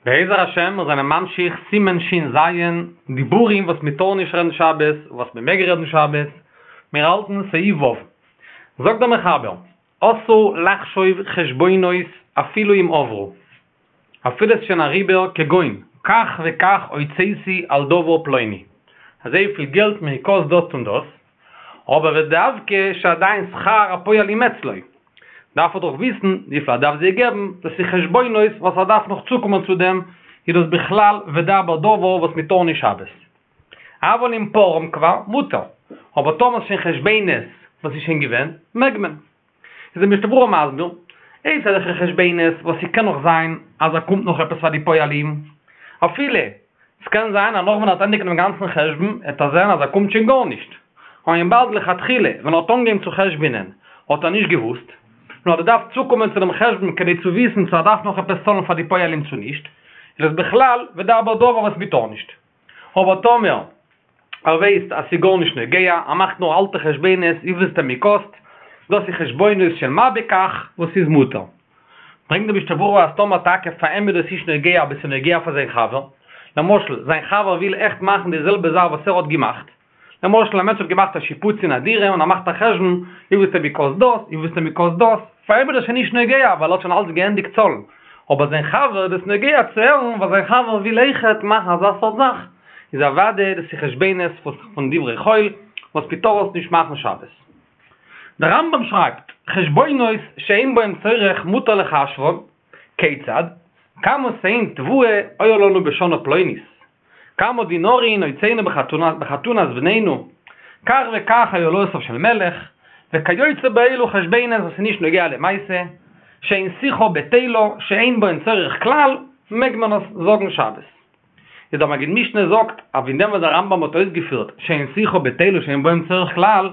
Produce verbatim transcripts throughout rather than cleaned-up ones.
בעזר השם מיר זענען ממשיך סימן שין ז', דיבורים וואס מען טאר נישט רעדן שבת, וואס מען מעג רעדן שבת, מיר האלטן סעיף ו'. זאגט דער מחבר, אסור לחשוב חשבונות אפילו אם עברו, אפילו עס איז שוין אריבער, כגון, כך וכך הוצאתי על דבר פלוני, אזויפיל געלט מיר קאסט דאס און דאס, אבער ודווקא שעדיין שכר הפועלים אצלו, דארף ער דאך וויסן וויפיל ער דארף זיי געבן, דאס איז חשבונות וואס ער דארף נאך צוקומען צו דעם, איז דאס בכלל ודבר דבר וואס מען טאר נישט שבת. אבל אם פרם כבר, מותר. אבער טאמער ס'שוין חשבונות וואס איז שוין געווען, מעג מען. איז דער משנה ברורה מסביר, אויב ס'איז אזעלכע חשבונות וואס ס'קען נאך זיין אז ער קומט נאך עפעס פאר די פועלים, אפילו ס'קען זיין אז נאך ווען ער האט ענדיגט דעם גאנצן חשבון העט ער זען אז ער קומט שוין גארנישט, און וויבאלד לכתחילה ווען ער האט אנגעהויבן צו חשבונ'ען האט ער נישט געוואוסט, נאר האט געדארפט צוקומען צו דעם חשבון כדי צו וויסן צו ער דארף נאך עפעס צאלן פאר די פועלים צו נישט, איז דאס בכלל ודבר דבר וואס מ'טאר נישט. אבער טאמער ער ווייסט אז ס'איז גארנישט נוגע, ער מאכט נאר אלטע חשבונות וויפיל ס'האט אים געקאסט, דאס איז חשבונות של מה בכך וואס איז מותר. ברענגט דער משנה ברורה אז טאמער טאקע פאר אים איז דאס נישט נוגע אבער ס'איז נוגע פאר זיין חבר, למשל זיין חבר וויל עכט מאכן די זעלבע זאך וואס ער האט געמאכט, למשל א מענטש האט געמאכט א שיפוץ אין א דירה און ער מאכט א חשבון וויפיל ס'האט געקאסט דאס, וויפיל ס'האט געקאסט דאס, פאר אים איז דאס שוין נישט נוגע ווייל ער האט שוין אלץ געענדיגט צאלן, אבער זיין חבר איז דאס נוגע צו הערן ווייל זיין חבר וויל אויכעט מאכן אזא סארט זאך, איז אוודאי דאס איז חשבונות פון דברי חול וואס מ'טאר עס נישט מאכן שבת. דער רמב ם שרייבט, חשבונות שאין בהם צורך מותר לחשבן, כיצד? כמה סאין תבואה היה לנו בשנה פלונית, כמה דינרין הוצאנו בחתונת בנינו, כך וכך היו עלותיו של מלך, וכיוצא באלו חשבונות וואס איז נישט נוגע למעשה, שאין שיחה בטלה, שאין בהן צורך כלל, מעג מען עס זאגן שבת. איז דער מגיד משנה זאגט אז אין דעם וואס דער רמב ם האט אויסגעפירט שאין שיחה בטלה שאין בהם צורך כלל,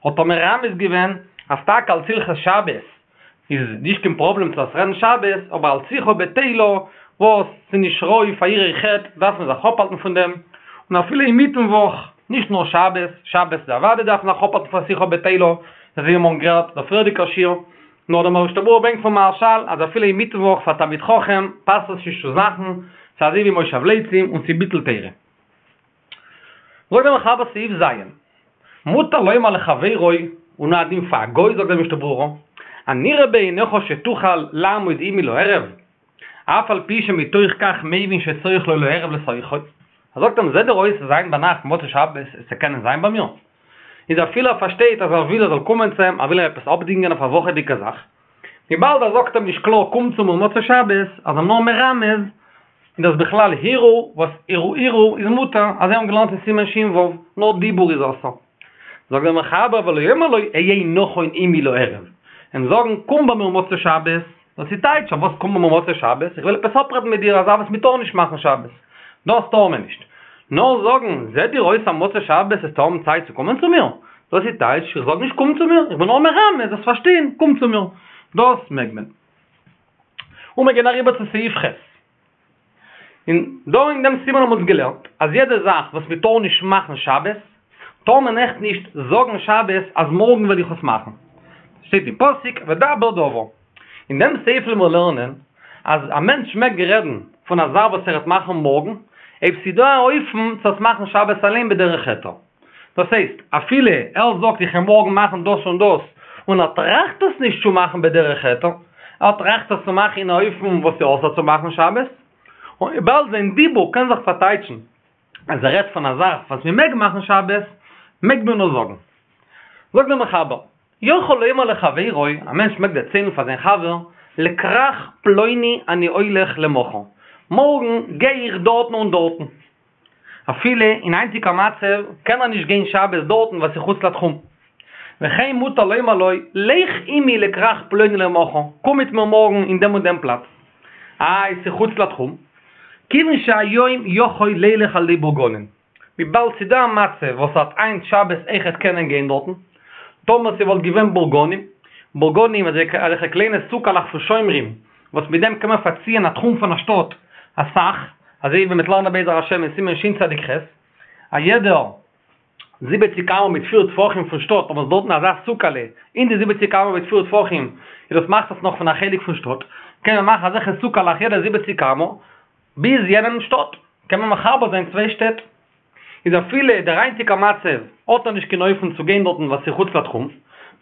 האט ער מרמז געווען אז טאקע אלס הלכות שבת איז נישט קיין פראבלעם צו עס רעדן שבת, אבער אלס שיחה בטלה וואס ס'איז נישט ראוי פאר יראי חטא דארף מען זיך אפהאלטן פון דעם, און אפילו אינמיטן וואך, נישט נאר שבת, שבת איז אוודאי דארף מען זיך אפהאלטן פון שיחה בטלה, אזוי ווי מיר האבן גערעדט דער פריערדיגער שיעור, נאר דער משנה ברורה ברענגט פון מהרשל אז אפילו אינמיטן וואך פאר תלמיד חכם פאסט עס נישט צו מאכן, ס'איז אזוי ווי מושב לצים און ס'איז ביטול תורה. זאגט דער מחבר סעיף ז', מותר לומר לחבירו, און הוא הדין פאר א גוי זאגט דער משנה ברורה, הנראה בעיניך שתוכל לעמוד עמי לערב, אף על פי שמתוך כך מבין שצריך לו לערב לשוחו, ער זאגט אים זעט דיר אויס אז היינט ביינאכט מוצאי שבת וועסטו קענען זיין ביי מיר? איז אפילו ער פארשטייט אז ער וויל ער זאל קומען צו אים, ער וויל אים עפעס אפדינגען אויף א וואכעדיגע זאך, וויבאלד ער זאגט אים נישט קלאר קום צו מיר מוצאי שבת, אז ער נאר מרמז, איז דאס בכלל הרהור, וואס הרהור איז מותר, אזוי האבן געלערנט אין סימן שין ו', נאר דיבור איז אסור. זאגט דער מחבר ולא יאמר לו היה נכון עמי לערב, אים זאגן קום ביי מיר מוצאי שבת, דאס איז טייטש, אויף וואס קום ביי מיר מוצאי שבת, איך וויל עפעס אפרעדן מיט דיר א זאך וואס מען טאר נישט מאכן שבת, דאס טאר מען נישט. נאר זאגן, זעט דיר אויס אז מוצאי שבת וועסטו האבן צייט צו קומען צו מיר? דאס איז טייטש, איך זאג נישט קום צו מיר, איך בין נאר מרמז, זאלסט פארשטיין, קום צו מיר. דאס מעג מען. און מיר גייען אריבער צו סעיף ח'. און דא אין דעם סימן האבן אונז געלערנט אז יעדע זאך וואס מען טאר נישט מאכן שבת, טאר מען עכט נישט זאגן שבת אז מארגן וועל איך עס מאכן. שטייט אין פסוק ודבר דבר. אין דעם סעיף וועלן מיר לערנען אז א מענטש מעג רעדן פון א זאך וואס ער וועט מאכן מארגן, אויב ס'איז דא א אופן צו עס מאכן שבת אליין בדרך היתר. דאס הייסט, אפילו ער זאגט איך וועל מארגן מאכן דאס און דאס, און ער טראכט עס נישט צו מאכן בדרך היתר, ער טראכט עס צו מאכן אין א אופן וואס איז אסור צו מאכן שבת, און וויבאלד זיין דיבור קען זיך פארטייטשן אז ער רעדט פון א זאך וואס מען מעג מאכן שבת, מעג מען עס זאגן. זאגט דער מחבר, יכול לומר לחבירו, א מענטש מעג דערציילן פאר זיין חבר, לכרך פלוני אני הולך למחר, מארגן גיי איך דארטן און דארטן. אפילו אין היינטיגע מצב קען ער נישט גיין שבת דארטן ווייל ס'איז חוץ לתחום. וכן מותר לומר לו, לך עמי לכרך פלוני למחר, קום מיט מיר מארגן אין דעם און דעם פלאץ. איי, ס'איז חוץ לתחום? כיוון שהיום יכול לילך על ידי בורגנין. וויבאלד ס'איז דא א מצב וואס ער וועט היינט שבת אויכעט קענען גיין דארטן, טאמער ס'וואלט געווען בורגנים, בורגנים אזעלכע קליינע סוכה'לעך פון שומרים, וואס מיט דעם קען מען פארציען א תחום פון א שטאט אסאך, אזוי ווי מ'וועט לערנען בעזר השם אין סימן שין צדיק ח', א יעדער זיבעציק אמה מיט פיר טפחים פון שטאט, אויב איז דארטן אזא סוכה'לע אין די זיבעציק אמה מיט פיר טפחים, איז דאס מאכט עס נאך פון א חלק פון שטאט, קען מען מאכן אזעלכע סוכה'לעך יעדע זיבעציק אמה, ביז יענעם שטאט, קען מען מחבר זיין צוויי שטעט. איז אפילו דער היינטיגער מצב האט ער נישט קיין אופן צו גיין דארטן וואס איז חוץ לתחום,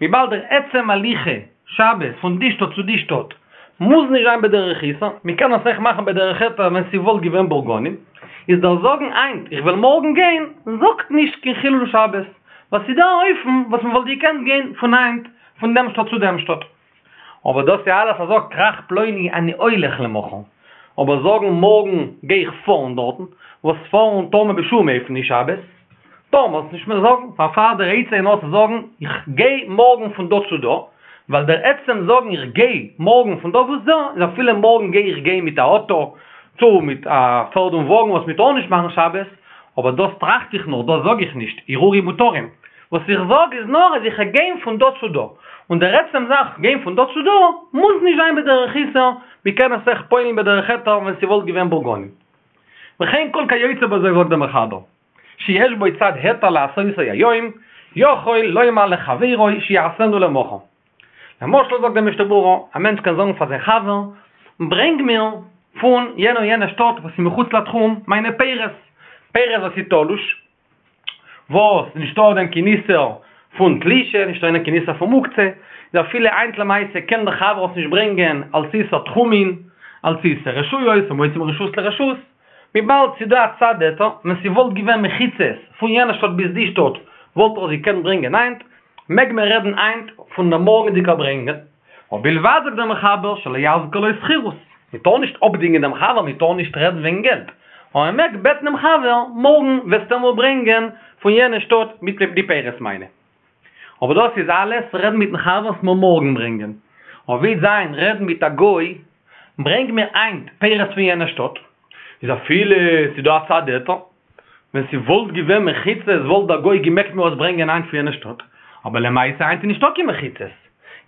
וויבאלד דער עצם הליכה שבת פון די שטאט צו די שטאט מוז נישט זיין בדרך איסור, מען קען עס אויך מאכן בדרך היתר ווען ס'וואלט געווען בורגנים, איז דער זאגן היינט איך וועל מארגן גיין זאגט נישט קיין חילול שבת, ווייל ס'איז דא א אופן וואס מ'וואלט געקענט גיין פון היינט פון דעם שטאט צו דעם שטאט. אבער דאס איז אלעס אז זאגט כרך פלוני אני הולך למחר, אבער זאגן מארגן גיי איך פארן דארטן, וואס פארן טאר מען בשום אופן נישט שבת, טאר מען עס נישט מער זאגן, פארפאר דער עצה איז נאר צו זאגן איך גיי מארגן פון דא צו דא, ווייל דער עצם זאגן איך גיי מארגן פון דא ביז דא, איז אפילו מארגן גיי איך גיין מיט א אוטא, צו מיט א פערד און וואגן וואס מען טאר נישט מאכן שבת, אבער דאס טראכט איך נאר, דאס זאג איך נישט, הרהורים מותרים. וואס איך זאג איז נאר אז איך גיין פון דא צו דא, און דער עצם זאך גיין פון דא צו דא מוז נישט זיין בדרך איסור, מען קען עס אויך פועל'ן בדרך היתר ווען ס'וואלט געווען בורגנים. וכן כל כיוצא בזה זאגט דער מחבר, שיש בו צד היתר לעשותו היום, יכול לומר לחבירו שיעשנו למחר. למשל זאגט דער משנה ברורה, א מענטש קען זאגן פאר זיין חבר, ברענג מיר פון יענע און יענע שטאט וואס איז מחוץ לתחום מיינע פירות, פירות וואס איז תלוש, וואס נישטא אויף דעם קיין איסור פון תלישה, נישטא אין דעם קיין איסור פון מוקצה, איז אפילו היינט למעשה קען דער חבר עס נישט ברענגען אלס איסור תחומין, אלס איסור רשויות, המוציא מרשות לרשות, וויבאלד ס'איז דא א צד היתר, ווען ס'וואלט געווען מחיצות פון יענע שטאט ביז די שטאט וואלט ער עס געקענט ברענגען היינט, מעג מען רעדן היינט פון דער מארגנדיגער ברענגען, ובלבד זאגט דער מחבר שלא יזכיר לו שכירות, מען טאר נישט אפדינגען דעם חבר, מען טאר נישט רעדן וועגן געלט, אבער מען מעג בעטן דעם חבר, מארגן וועסטו מיר ברענגען פון יענע שטאט מיט די פירות מיינע. אבער דאס איז אלעס רעדן מיטן חבר וועסט מיר מארגן ברענגען. אבער ווי זיין רעדן מיט א גוי, ברענג מיר היינט פירות פון יענע שטאט, איז אפילו ס'איז דא א צד היתר, ווען ס'וואלט געווען מחיצות וואלט דער גוי געמעגט מיר עס ברענגען היינט פון יענע שטאט, אבער למעשה היינט איז נישטא קיין מחיצות,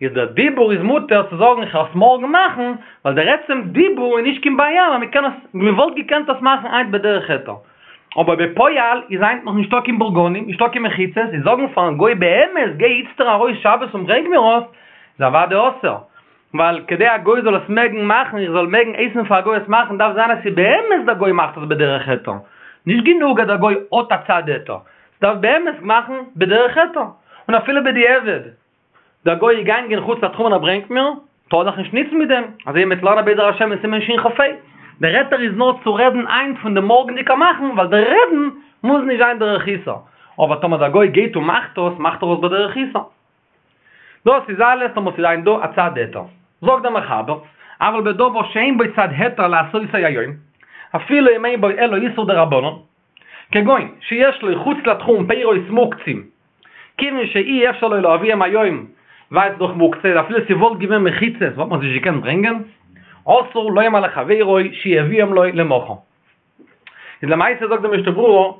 איז דער דיבור איז מותר צו זאגן איך וועל עס מארגן מאכן, ווייל דער עצם דיבור איז נישט קיין בעיה ווייל מ'קען עס, מ'וואלט געקענט עס מאכן היינט בדרך היתר. אבער בפועל איז היינט נאך נישטא קיין בורגנים, נישטא קיין מחיצות, איז זאגן פארן גוי באמת גיי איצטער ארויס שבת און ברענג מיר עס, איז אוודאי אסור. ווייל כדי א גוי זאל עס מעגן מאכן, איך זאל מעגן הייסן פאר א גוי עס מאכן, דארף זיין אז ס'איז באמת דער גוי מאכט עס בדרך היתר. נישט גענוג אז דער גוי האט א צד היתר, ס'דארף באמת מאכן בדרך היתר. און אפילו בדיעבד, דער גוי איז געגאנגען חוץ לתחום און ער ברענגט מיר, טאר זיך נישט ניצן מיט דעם, אזוי ווי מ'וועט לערנען בעזר השם אין סימן שכ"ה. דער היתר איז נאר צו רעדן היינט פון דעם מארגנדיגע מאכן, ווייל דער רעדן מוז נישט זיין דרך איסור. אבער טאמער דער גוי גייט און מאכט עס, מאכט ער עס בדרך איסור. דאס איז אלעס טאמער ס'איז היינט דא א צד היתר. זאגט דער מחבר, אבל בדבר שאין בו צד היתר לעשותו היום, אפילו אם אין בו אלא איסור דרבנן, כגון שיש לו חוץ לתחום פירות מוקצים, כיוון שאי אפשר לו להביאם היום, ווייל ס'איז דאך מוקצה, אפילו ס'וואלט געווען מחיצות וואלט מען עס נישט געקענט ברענגען, אסור לומר לחבירו שיביאם לו למחר. איז למעשה זאגט דער משנה ברורה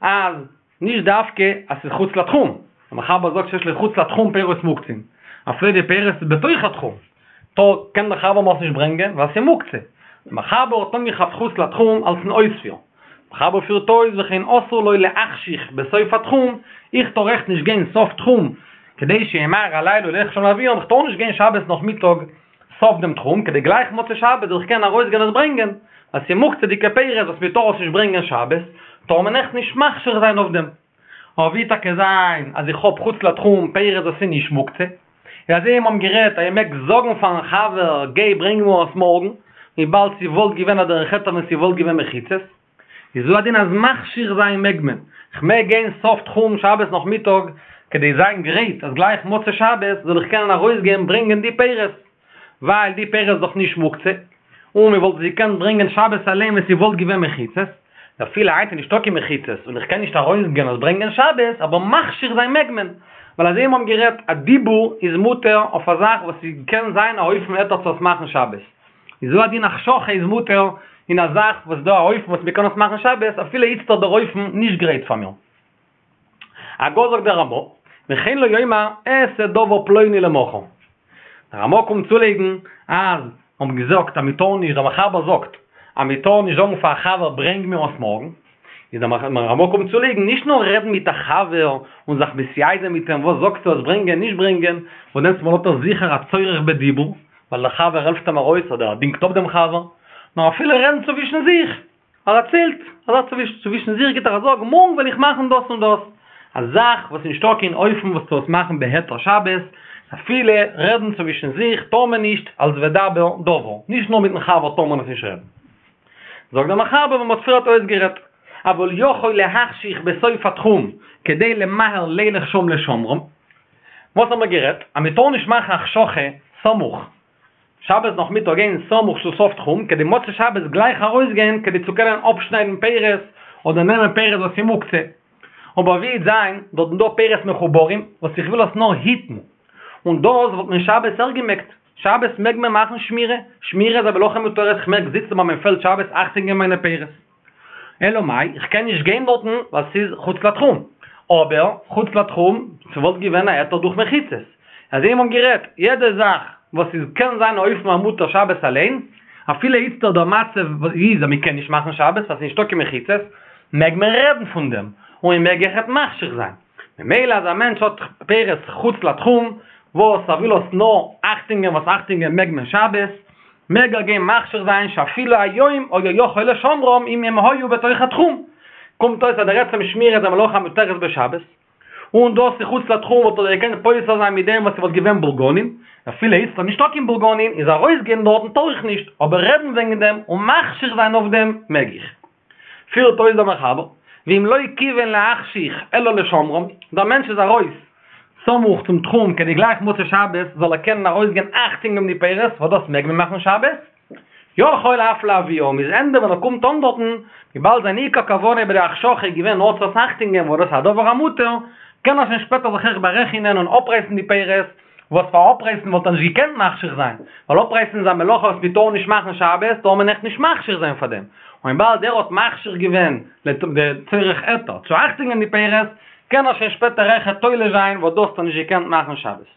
אז נישט דווקא אז ס'איז חוץ לתחום, דער מחבר זאגט שיש לו חוץ לתחום פירות מוקצים, אפילו די פירות איז בתוך התחום, טא קען דער חבר מיר עס נישט ברענגען ווייל ס'איז מוקצה. דער מחבר האט אנגעכאפט חוץ לתחום אלס'ן אויספיר. מחבר פירט אויס וכן אסור לו להחשיך בסוף התחום, איך טאר אויך נישט גיין סוף תחום כדי שימהר הלילה וילך לשם להביאם, איך טאר נישט גיין שבת נאכמיטאג סוף דעם תחום כדי גלייך מוצאי שבת זאל איך קענען ארויסגיין עס ברענגען, ווייל ס'איז מוקצה'דיגע פירות וואס מ'טאר עס נישט ברענגען שבת, טאר מען אויך נישט מחשיך זיין אויף דעם. אבער ווי טאקע זיין אז איך האב חוץ לתחום פירות וואס איז נישט מוקצה, און אזוי ווי מיר האבן גערעדט אז איך מעג זאגן פארן חבר גיי ברענג מיר עס מארגן, וויבאלד ס'וואלט געווען א דרך היתר ווען ס'וואלט געווען מחיצות, איז הוא הדין אז מחשיך זיין מעג מען, כ'מעג גיין סוף תחום שבת נאכמיטאג כדי זיין גרייט אז גלייך מוצאי שבת זאל איך קענען ארויסגיין ברענגען די פירות, ווייל די פירות איז דאך נישט מוקצה, און מען וואלט עס געקענט ברענגען שבת אליין ווען ס'וואלט געווען מחיצות, אפילו היינט איז נישטא קיין מחיצות און איך קען נישט ארויסגיין עס ברענגען שבת, אבער מחשיך זיין מעג מען, ווייל אזוי ווי מיר האבן גערעדט א דיבור איז מותר אויף א זאך וואס ס'קען זיין א אופן היתר צו עס מאכן שבת, איז הוא הדין החשכה איז מותר אין א זאך וואס דא א אופן וואס מ'קען עס מאכן שבת אפילו איצטער דער אופן נישט גרייט פאר מיר. הגה זאגט דער רמא, וכן לא יאמר אעשה דבר פלוני למחר. דער רמא קומט צולייגן אז מ'האט געזאגט אז מ'טאר נישט, דער מחבר זאגט אז מ'טאר נישט זאגן פאר א חבר ברענג מיר עס מארגן, איז דער רמא קומט צולייגן נישט נאר רעדן מיט א חבר און זיך מתייעץ זיין מיט אים וואס זאגסטו עס ברענגען נישט ברענגען, וואס דענסטמאל האט ער זיכער א צורך בדיבור, ווייל דער חבר העלפט אים ארויס אדער ער דינגט אפ דעם חבר, נאר אפילו רעדן צווישן זיך, ער דערציילט, ער זאגט צווישן זיך גיט ער א זאג, מארגן וועל איך מאכן דאס און דאס. א זאך וואס איז נישטא קיין אופן וואס צו עס מאכן בהיתר שבת, אפילו רעדן צווישן זיך טאר מען נישט אלס ודבר דבר, נישט נאר מיטן חבר טאר מען עס נישט רעדן. זאגט דער מחבר ווי מ'האט פריערט אויסגערעדט, אבל יכול להחשיך בסוף התחום כדי למהר לילך שם לשומרם, וואס האמער גערעדט? אז מ'טאר נישט מאכן החשכה סמוך שבת נאכמיטאג גיין סמוך צו סוף תחום כדי מוצאי שבת גלייך ארויסגיין כדי צו קענען אפשניידן פירות אדער נעמען פירות וואס איז מוקצה. אבער ווי וועט זיין דארטן דא פירות מחוברים וואס איך וויל עס נאר היטן און דאס וואלט מען שבת אויך געמעגט, שבת מעג מען מאכן שמירה, שמירה איז א מלאכה מותרת איך מעג זיצן ביי מיין פעלד שבת אכטונג געבן מיינע פירות. אלא מאי איך קען נישט גיין דארטן ווייל ס'איז חוץ לתחום, אבער חוץ לתחום ס'וואלט געווען א היתר דורך מחיצות, אזוי ווי מ'האט גערעדט, יעדע זאך וואס איז קען זיין אופן המותר שבת אליין, אפילו איצטער דער מצב איז אז מ'קען נישט מאכן שבת ווייל ס'איז נישטא קיין מחיצות, מעג מען רעדן פון דעם, און מ'מעג אויכעט מחשיך זיין. ממילא אז א מענטש האט פירות חוץ לתחום, וואס ער וויל עס נאר אכטונג געבן וואס אכטונג געבן מעג מען שבת, מעג ער גיין מחשיך זיין שאפילו היום היה יכול לשומרם אם הם היו בתוך התחום. קומט אויס אז דער עצם שמירה איז א מלאכה המותרת בשבת, און דאס איז חוץ לתחום וואלט ער געקענט פותר זיין מיט דעם וואס ס'וואלט געווען בורגנין, אפילו איצט איז נישטא קיין בורגנין איז ארויסגיין דארטן טאר איך נישט, אבער רעדן וועגן דעם און מחשיך זיין אויף דעם מעג איך. פירט אויס דער מחבר, ואם לא כיוון להחשיך אלא לשומרם, דער מענטש איז ארויס סמוך צום תחום כדי גלייך מוצאי שבת זאל ער קענען ארויסגיין אכטונג געבן די פירות, וואס דאס מעג מען מאכן שבת, יכול אף להביאם, איז ענדע ווען ער קומט אן דארטן, וויבאלד זיין עיקר כוונה ביי די החשכה איז געווען נאר צו עס אכטונג געבן וואס דאס איז א דבר המותר, קען ער שוין שפעטער זיך אויך בארעכענען און אפרייסן די פירות, וואס פאר אפרייסן וואלט ער נישט געקענט מחשיך זיין, ווייל אפרייסן איז א מלאכה וואס מען טאר נישט מאכן שבת, טאר מען עכט נישט מחשיך זיין פאר דעם, און וויבאלד ער האט מחשיך געווען לצורך היתר צו אכטונג געבן די פירות, קען ער שוין שפעטער אויכעט תולש זיין וואס דאס האט ער נישט געקענט מאכן שבת.